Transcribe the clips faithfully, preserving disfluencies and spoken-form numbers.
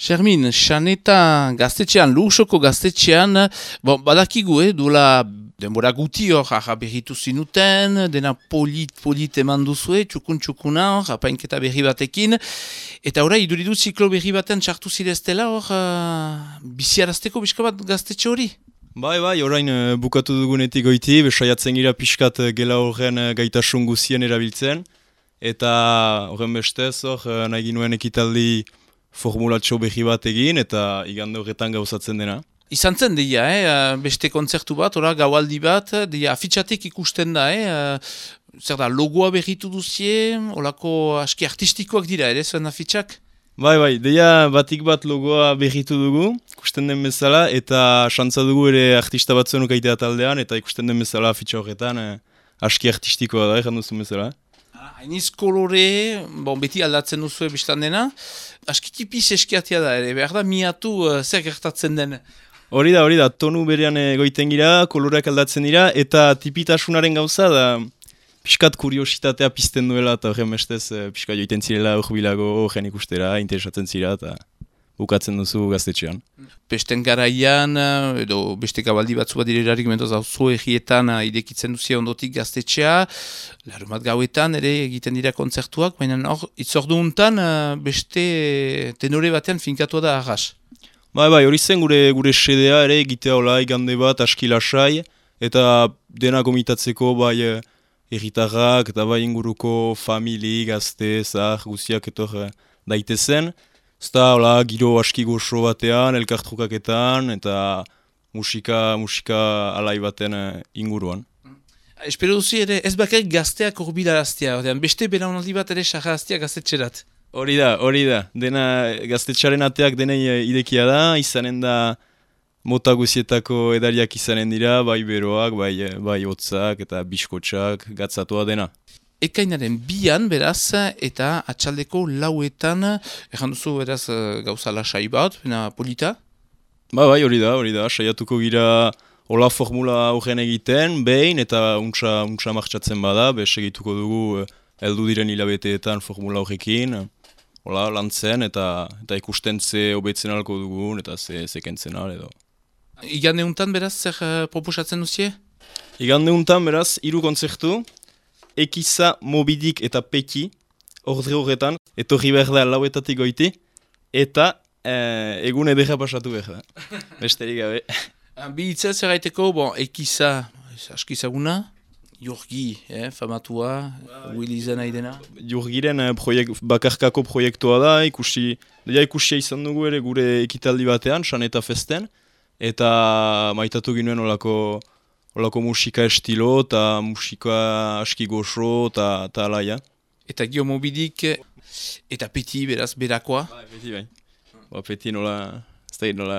Xermin, Xaneta gaztetxean, Luxoko gaztetxean, bon, badakigu, eh, duela denbora guti hor, aha berritu zinuten, dena polit-polit eman duzue, txukun-txukuna hor, apainketa berri batekin, eta ora, iduridu ziklo berri baten txartu zireztela hor, uh, biziarazteko bizka bat gaztetxe hori? Bai, bai, orain uh, bukatu dugunetik goiti, besaiatzen gira pixkat uh, gela horren uh, gaitasun guzien erabiltzen, eta horren bestez hor, uh, nahi ginuen ekitaldi formulatxo berri bat egin, eta igande horretan gauzatzen dena. Izan zen deia, eh? Beste kontzertu bat, ora gaualdi bat, deia afitxatek ikusten da, eh? Zer da, logoa berritu duzie, olako aski artistikoak dira, ere, zuen afitxak? Bai, bai, deia batik bat logoa berritu dugu, ikusten den bezala, eta xantza dugu ere artista batzuen ukaitea taldean, eta ikusten den bezala afitxa horretan, eh, aski artistikoa da, egan duzun bezala. Hainiz kolore, bon, beti aldatzen duzu ebistan dena, aski tipiz eskiatia da, ere, behar da miatu uh, zer gertatzen den. Hori da, hori da, tonu berean egoiten gira, koloreak aldatzen dira, eta tipitasunaren gauza da pixkat kuriositatea pizten duela, eta horren bestez pixkat joiten zirela urbilago horren ikustera, interesatzen zira, eta bukatzen duzu gaztetxean. Besten garaian, edo beste gabaldi batzu bat direlarik mentoz hau zo egietan idekitzen duzia ondotik gaztetxea, larumat gauetan ere egiten dira kontzertuak, baina hor, itzordu untan beste tenore batean finkatua da arras. Bai, bai, hori zen gure gure sedea ere egitea hola igande bat aski lasai, eta dena gomitatzeko bai herritarrak eta bai inguruko famili, gazte, zahar, guziak etor daitezen. Zta hola giro aski goxo batean, elkartrukaketan eta musika, musika alai baten inguruan. Espero duzi ere ez bakarrik gazteak urbilaraztea, beste belaunaldi bat ere sarraztea gaztetxerat. Hori da, hori da. Dena gaztetxaren ateak denei idekia da, izanen da mota guzietako edariak izanen dira, bai beroak, bai, bai hotzak eta biskotxak gatzatua dena. Ekainaren bian, beraz, eta atxaldeko lauetan, erran duzu, beraz, gauza lasai bat, bena polita? Ba, bai, hori da, hori da, saiatuko gira hola formula horren egiten, behin, eta untsa, untsa martxatzen bada, be segituko dugu heldu diren hilabeteetan formula horrekin, hola, lantzen, eta, eta ikusten ze hobetzen alko dugun, eta ze, ze kentzen al, edo. Igande untan, beraz, zer uh, proposatzen duzie? Igande untan, beraz, hiru kontzertu, Ekiza, Mobidik eta Peki, ordre horretan, etorri behar da lauetatik goiti, eta eh, egun edera pasatu behar da. Besterik gabe. Bi hitza zer gaiteko, bon, Ekiza, askizaguna, Jurgi, eh, famatua, Willy izan nahi dena. Jurgiren eh, proiek, bakarkako proiektua da, ikusi, deia ikusia izan dugu ere gure ekitaldi batean, Xaneta festen, eta maitatu ginuen olako Olako musika estilo eta musika aski goxo eta alaia. Eta Gio Mobidik eta Peti beraz berakoa? Bai, Peti bai. Ba, Peti nola, ez da nola...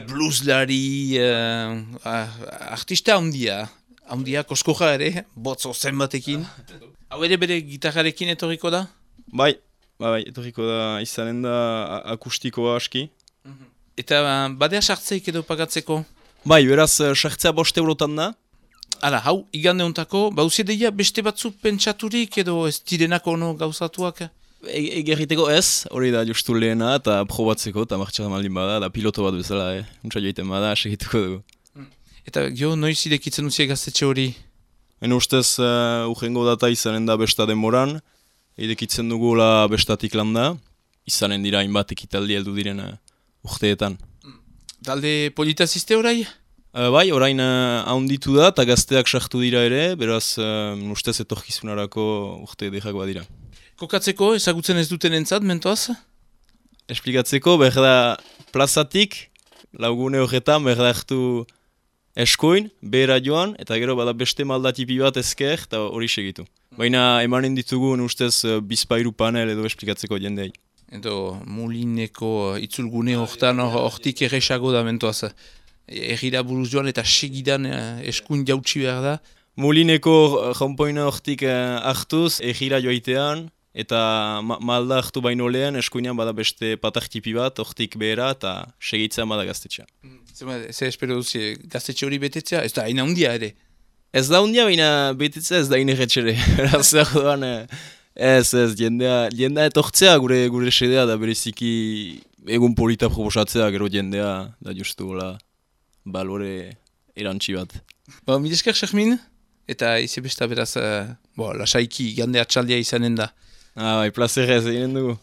Blueslari, uh, artista handia. Handia, koskoja ere, botzo zen batekin. Hau ere bere gitarrarekin etorriko da? Bai, bai, etorriko da izanen da akustikoa aski. Eta uh, badea sartzeik edo pagatzeko? Bai, beraz, sartzea bost eurotan da. Hala, hau, igande hontako, bauzie deia beste batzu pentsaturik edo ez direnako ono gauzatuak? Egerriteko ez, hori da justu lehena eta probatzeko eta martxan maldin bada, da piloto bat bezala, eh? Untsa joiten bada, segituko dugu. Eta gio, noiz idekitzen duzie gaztetxe hori? Hene ustez, uh, urrengo data izanen da besta denboran, idekitzen dugu la bestatik landa, izanen dira hainbat ekitaldi heldu diren uh, urteetan. Talde politaziste orai? Uh, bai, orain uh, haunditu da eta gazteak sartu dira ere, beraz uh, ustez etorkizunarako urte edekak badira. Kokatzeko, ezagutzen ez duten entzat, mentoaz? Esplikatzeko, behar da plazatik, laugune horretan, behar da hartu eskuin, behera joan, eta gero bada beste maldatipi bat ezker, eta hori segitu. Baina emanen ditugun ustez uh, bizpairu panel edo esplikatzeko jendei. Edo Molineko itzulgune hortan hortik erresago da mentoaz. Ergira buruz joan eta segidan eskuin jautsi behar da. Molineko jaunpoina hortik hartuz, ergira joaitean, eta ma malda hartu baino lehen, eskuinean bada beste patartipi bat, hortik behera, eta segitzean bada gaztetxea. Zer espero duzi, gaztetxe hori betetzea? Ez da, haina hundia ere? Ez da hundia, baina betetzea ez da inerretxere. Zer doan... Ez, ez, jendea, jendea etortzea gure gure sedea da bereziki egun polita proposatzea, gero jendea, da justu la balore erantzi bat. Ba, mil esker, Xermin, eta izi besta beraz, uh, bo, lasaiki gande atxaldia izanen da. Ah, bai, plazerrez eginen dugu.